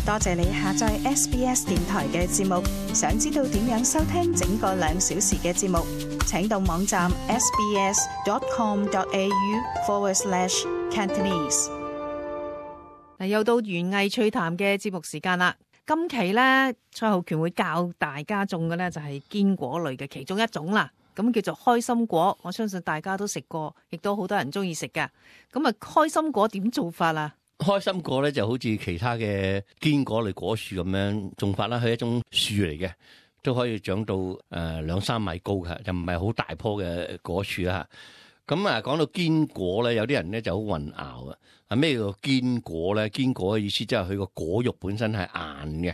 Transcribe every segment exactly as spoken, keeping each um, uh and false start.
多謝你下載 S B S 電台嘅節目。想知道點樣收聽整個兩小時嘅節目，請到網站 sbs.com.au forward slash Cantonese。嗱，又到園藝趣談嘅節目時間啦。今期咧，蔡浩權會教大家種嘅咧就係堅果類嘅其中一種啦。咁叫做開心果，我相信大家都食過，亦都好多人中意食㗎。咁啊，開心果點做法啊？開心果咧就好似其他嘅堅果類果樹咁樣種法啦，佢係一種樹嚟嘅，都可以長到誒兩三米高嘅，就唔係好大棵嘅果樹啦。咁啊，講到堅果咧，有啲人咧就好混淆啊。啊，咩叫堅果咧？堅果嘅意思即係佢個果肉本身係硬嘅。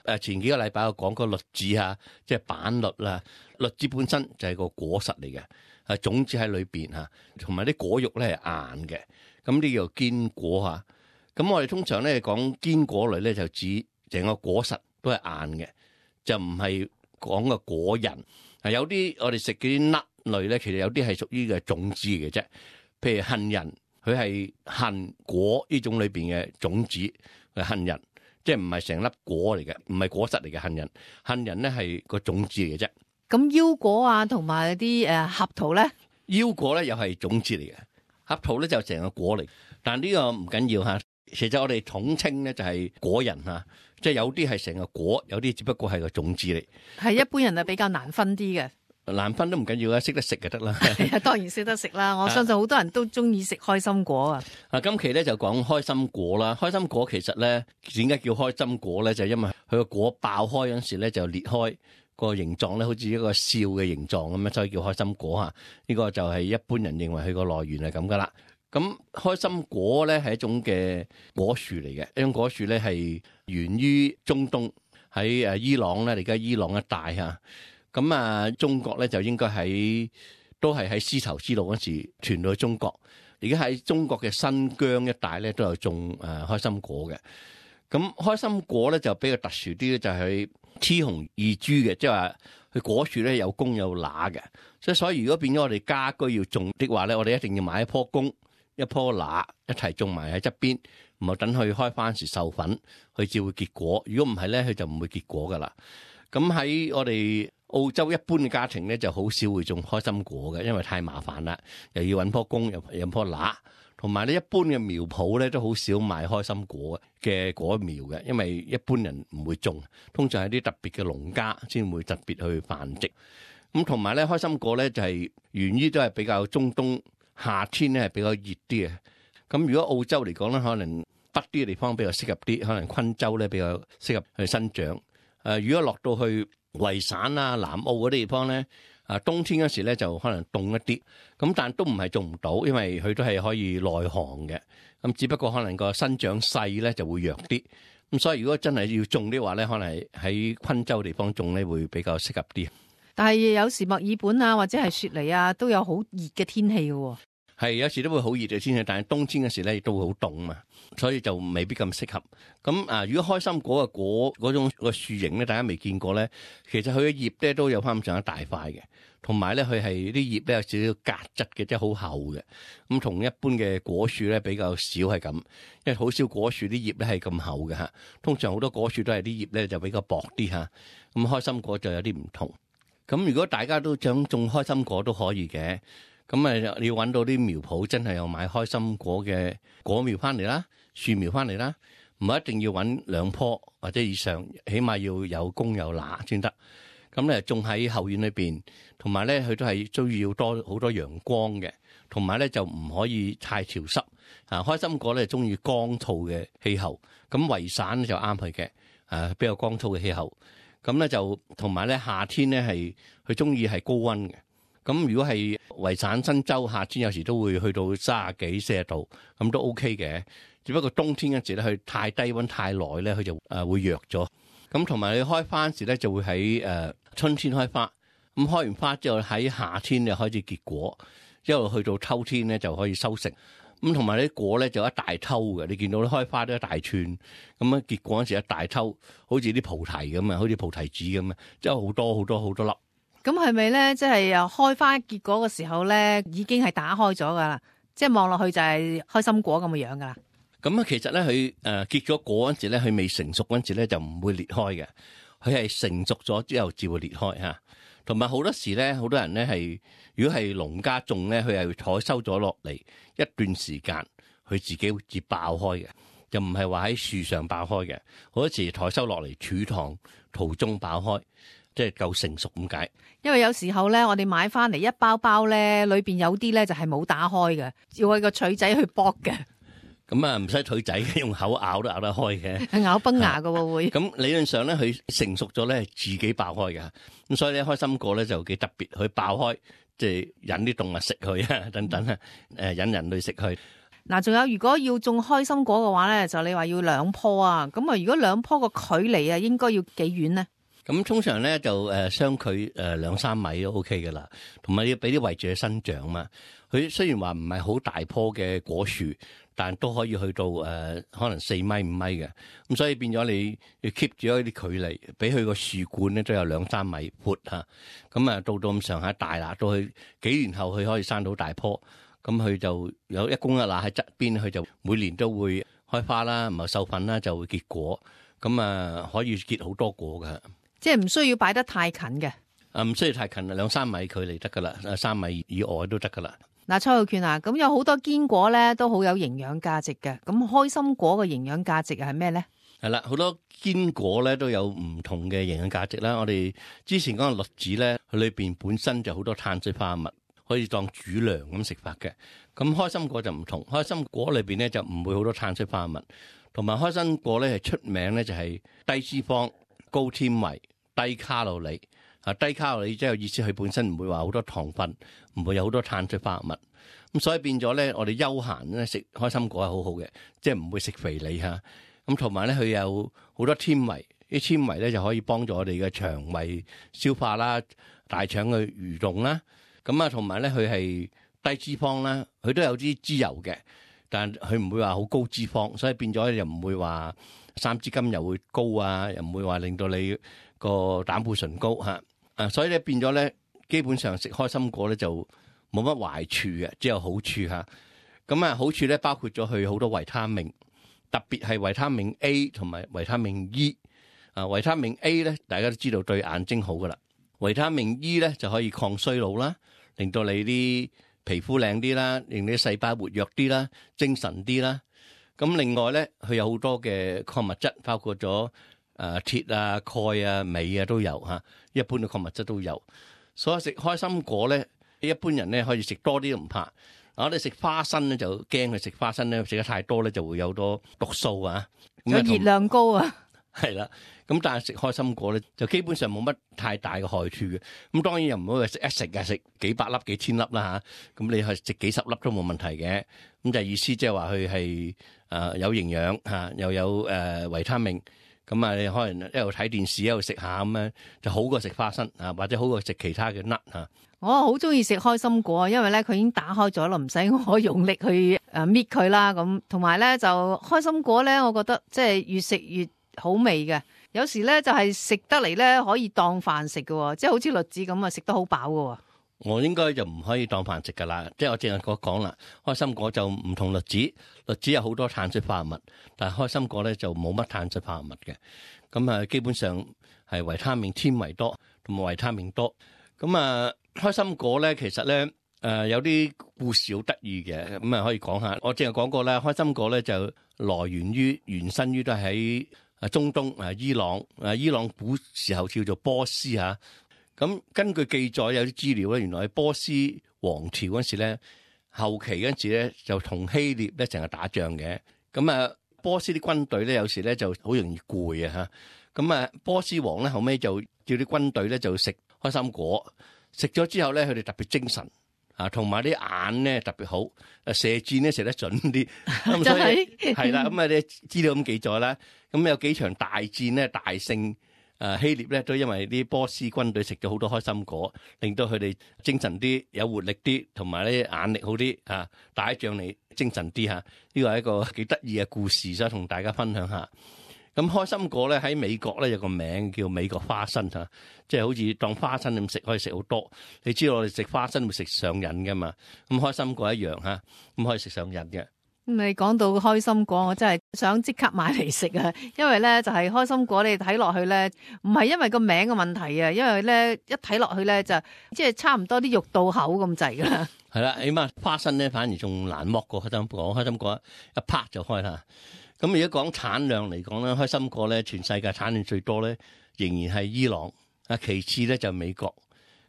誒，前幾個禮拜我講過栗子啊，即係板栗啦，栗子本身就係個果實嚟嘅，係種子喺裏邊嚇，同埋啲果肉咧係硬嘅，咁呢叫堅果嚇。咁我哋通常咧講堅果類咧，就指成個果實都係硬嘅，就唔係講個果仁。啊，有啲我哋食嗰啲 nut 類咧，其實有啲係屬於嘅種子嘅啫。譬如杏仁，佢係杏果呢種裏邊嘅種子係杏仁，即係唔係成粒果嚟嘅，唔係果實嚟嘅杏仁。杏仁咧係個種子嚟嘅啫。咁腰果啊，同埋啲誒合桃咧，腰果咧又係種子嚟嘅，合桃咧就成個果嚟。但呢個唔緊要嚇。其實我哋統稱咧就係果仁嚇，即係有啲係成個果，有啲只不過係個種子嚟。係一般人啊比較難分啲嘅，難分都唔緊要啦，識得食就得啦。係啊，當然識得食啦。我相信好多人都中意食開心果啊。啊，今期咧就講開心果啦。開心果其實咧點解叫開心果咧？就係因為佢個果爆開嗰陣時咧就裂開，個形狀咧好似一個笑嘅形狀咁樣，所以叫開心果嚇。呢個就係一般人認為佢個來源係咁噶啦。咁開心果咧係一種嘅果樹嚟嘅，一種果樹咧係源於中東，喺誒伊朗咧，而家伊朗一帶嚇。咁啊，中國咧就應該喺都係喺絲綢之路嗰時傳到去中國。而家喺中國嘅新疆一帶咧都有種誒開心果嘅。咁開心果咧就比較特殊啲咧，就係佢雌雄異株嘅，即係話佢果樹咧有公有乸嘅。即係所以如果變咗我哋家居要種的話咧，我哋一定要買一棵公，一棵乸一齊種埋喺側邊，唔好等佢開花時授粉，佢至會結果。如果唔係咧，佢就唔會結果噶啦。咁喺我哋澳洲一般嘅家庭咧，就好少會種開心果嘅，因為太麻煩啦，又要揾棵公，又有棵乸，同埋咧一般嘅苗圃咧都好少賣開心果嘅果苗嘅，因為一般人唔會種，通常係啲特別嘅農家先會特別去繁殖。咁同埋咧，開心果咧就係源於都係比較中東。夏天咧係比較熱啲嘅，咁如果澳洲嚟講咧，可能北啲嘅地方比較適合啲，可能昆州咧比較適合去生長。誒、呃，如果落到去維省啊、南澳嗰啲地方咧，啊冬天嗰時咧就可能凍一啲，咁但都唔係種唔到，因為佢都係可以耐寒嘅，咁只不過可能個生長勢咧就會弱啲。咁所以如果真係要種的話咧，可能喺昆州地方種咧會比較適合啲。但係有時墨爾本啊，或者係雪梨啊，都有好熱嘅天氣嘅喎。係有時都會好熱嘅天氣，但係冬天嘅時咧亦都會好凍嘛，所以就未必咁適合。咁啊，如果開心果嘅果嗰種個樹形咧，大家未見過咧，其實佢嘅葉咧都有翻咁上下大塊嘅，同埋咧佢係啲葉咧有少少革質嘅，即係好厚嘅。咁同一般嘅果樹咧比較少係咁，因為好少果樹啲葉咧係咁厚嘅嚇。通常好多果樹都係啲葉咧就比較薄啲嚇。咁開心果就有啲唔同。咁如果大家都想種開心果都可以嘅。咁啊，你要揾到啲苗圃，真係有買開心果嘅果苗翻嚟啦，樹苗翻嚟啦，唔係一定要揾兩棵或者以上，起碼要有公有乸先得。咁咧種喺後院裏邊，同埋咧佢都係需要多好多陽光嘅，同埋咧就唔可以太潮濕。啊，開心果咧中意乾燥嘅氣候，咁維省就啱佢嘅，啊比較乾燥嘅氣候。咁咧就同埋咧夏天咧係佢中意係高溫嘅。咁如果係維省新州夏天有時都會去到三十幾四十度，咁都 OK 嘅。只不過冬天嗰時咧，佢太低溫太耐咧，佢就誒會弱咗。咁同埋你開花時咧，就會喺誒春天開花。咁開完花之後喺夏天就開始結果，一路去到秋天咧就可以收成。咁同埋啲果咧就一大抽嘅，你見到啲開花都一大串，咁樣結果嗰時一大抽，好似啲菩提咁啊，好似菩提子咁啊，即係好多好多好多粒。咁係咪咧？即係又開花結果嘅時候咧，已經係打開咗噶啦，即係望落去就係開心果咁嘅樣噶啦。咁啊，其實咧佢誒結咗果嗰陣時咧，佢未成熟嗰陣時咧就唔會裂開嘅，佢係成熟咗之後至會裂開嚇。同埋好多時咧，好多人咧係如果係農家種咧，佢係採收咗落嚟一段時間，佢自己會自爆開嘅，就唔係話喺樹上爆開嘅。好多時採收落嚟儲塘途中爆開，即係夠成熟咁解。因為有時候咧，我哋買翻嚟一包包咧，裏邊有啲咧就係冇打開嘅，要揾個錘仔去剝嘅。咁啊，唔使腿仔，用口咬都咬得開嘅，咬崩牙㗎喎會。咁理論上咧，佢成熟咗咧，自己爆開嘅。咁所以咧，開心果咧就幾特別，佢爆開即係引啲動物食佢啊，等等啊，誒引人類食佢。嗱，仲有如果要種開心果嘅話咧，就你話要兩棵啊，咁啊，如果兩棵個距離啊，應該要幾遠呢？咁通常咧就誒相距誒兩三米都 OK 嘅啦，同埋要俾啲位置去生長嘛。佢雖然話唔係好大棵嘅果樹，但都可以去到誒、呃、可能四米五米嘅。咁所以變咗你要 keep 住一啲距離，俾佢個樹冠咧都有兩三米闊嚇。咁啊到到咁上下大啦，到佢幾年後佢可以生到大棵，咁佢就有一公一乸喺側邊，佢就每年都會開花啦，唔係授粉啦，就會結果。咁啊可以結好多果㗎。即係唔需要擺得太近嘅，啊唔需要太近啦，兩三米距離得噶啦，三米以外都得噶啦。嗱，蔡浩權啊，咁有好多堅果咧都好有營養價值嘅，咁開心果嘅營養價值係咩咧？係啦，好多堅果咧都有唔同嘅營養價值啦。我哋之前講嘅栗子咧，佢裏邊本身就好多碳水化合物，可以當主糧咁食法嘅。咁開心果就唔同，開心果裏邊咧就唔會好多碳水化合物，同埋開心果咧係出名咧就係低脂肪、高纖維、低卡路里。啊，低卡路里即係意思，佢本身唔會話好多糖分，唔會有好多碳水化合物。咁所以變咗咧，我哋休閒咧食開心果係好好嘅，即係唔會食肥膩嚇。咁同埋咧，佢有好多纖維，啲纖維咧就可以幫助我哋嘅腸胃消化啦、大腸嘅蠕動啦。咁啊，同埋咧佢係低脂肪啦，佢都有啲脂油嘅，但佢唔會話好高脂肪，所以變咗又唔會話三脂甘油會高啊，又唔會話令到你個膽固醇高嚇。啊，所以咧變咗咧，基本上食開心果咧就冇乜壞處嘅，只有好處嚇。咁啊，好處咧包括咗佢好多維他命，特別係維他命 A 同埋維他命 E。啊，維他命 A 咧，大家都知道對眼睛好噶啦。維他命 E 咧就可以抗衰老啦，令到你啲皮膚靚啲啦，令你啲細胞活躍啲啦，精神啲啦。咁另外咧，佢有好多嘅礦物質，包括咗誒鐵啊、鈣啊、鎂啊都有嚇，一般嘅礦物質都有。所以食開心果咧，一般人咧可以食多啲都唔怕。我哋食花生咧就驚佢食花生咧食得太多咧就會有多毒素啊，有熱量高啊。係啦，咁但係食開心果咧就基本上冇乜太大嘅害處嘅。咁當然又唔好話食一食啊，食幾百粒、幾千粒啦嚇。咁你係食幾十粒都冇問題嘅。咁就意思即係話佢係誒有營養嚇，又有誒維他命。咁啊，你可能一路睇電視一路食下咁樣，就好過食花生啊，或者好過食其他嘅 nut 嚇。我好中意食開心果，因為咧佢已經打開咗啦，唔使我用力去誒搣佢啦。咁同埋咧就開心果咧，我覺得即係越食越好味嘅。有時咧就係食得嚟咧可以當飯食嘅，即係好似栗子咁啊，食得好飽嘅。我應該就唔可以當飯食噶啦，即係我正係講講啦。開心果就唔同栗子，栗子有好多碳水化合物，但係開心果咧就冇乜碳水化合物嘅。咁啊，基本上係維他命纖維多，同埋維他命多。咁啊，開心果咧其實咧誒有啲故事好得意嘅，咁啊可以講下。我正係講過啦，開心果咧就來源於原生於都係喺啊中東啊伊朗啊伊朗古時候叫做波斯嚇。咁根據記載有啲資料咧，原來喺波斯王朝嗰時咧，後期嗰時咧就同希臘咧成日打仗嘅。咁啊，波斯啲軍隊咧有時咧就好容易攰啊嚇。咁啊，波斯王咧後尾就叫啲軍隊咧就食開心果，食咗之後咧佢哋特別精神啊，同埋啲眼咧特別好，誒射箭咧射得準啲。咁所以係啦，咁啊啲資料咁記載啦。咁有幾場大戰咧大勝。誒希臘咧都因為啲波斯軍隊食咗好多開心果，令到佢哋精神啲、有活力啲，同埋咧眼力好啲啊！打仗嚟精神啲嚇，呢個係一個幾得意嘅故事，想同大家分享下。咁開心果咧喺美國咧有個名叫美國花生嚇，即係好似當花生咁食，可以食好多。你知道我哋食花生會食上癮㗎嘛？咁開心果一樣嚇，咁可以食上癮嘅。你講到開心果，我真係想即刻買嚟食啊！因為咧就係開心果，你睇落去咧唔係因為個名嘅問題啊，因為咧一睇落去咧就即係差唔多啲肉到口咁滯噶啦。係啦，起碼花生咧反而仲難剝過開心果，開心果一拍就開啦。咁如果講產量嚟講咧，開心果咧全世界產量最多咧仍然係伊朗，啊其次咧就美國。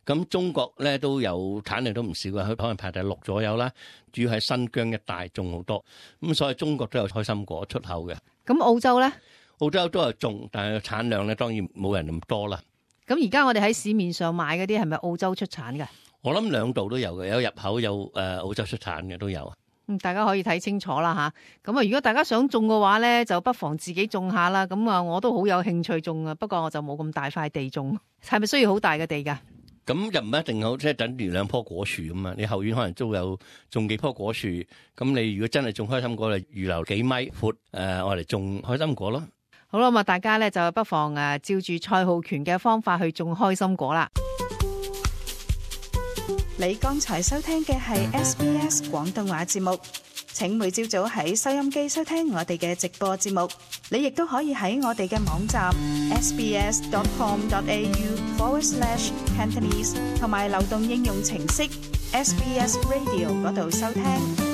咁中國咧都有產量都唔少嘅，佢可能排第六左右啦。主要喺新疆一帶種好多，咁所以中國都有開心果出口嘅。咁澳洲咧？澳洲都有種，但係產量咧當然冇人咁多啦。咁而家我哋喺市面上買嗰啲係咪澳洲出產嘅？我諗兩度都有嘅，有入口有誒澳洲出產嘅都有。嗯，大家可以睇清楚啦吓。咁啊，如果大家想種嘅話咧，就不妨自己種下啦。咁啊，我都好有興趣種啊，不過我就冇咁大塊地種。係咪需要好大嘅地㗎？咁又唔一定好，即係等於兩棵果樹咁啊！你後院可能都有種幾棵果樹，咁你如果真係種開心果，就預留幾米闊誒，我嚟種開心果咯。好啦，咁啊，大家咧就不妨誒照住蔡浩權嘅方法去種開心果啦。你剛才收聽嘅係 S B S 廣東話節目。請每朝早喺收音機收聽我哋嘅直播節目，你亦都可以喺我哋嘅網站 sbs dot com dot a u forward slash cantonese 同埋流動應用程式 S B S Radio 嗰度收聽。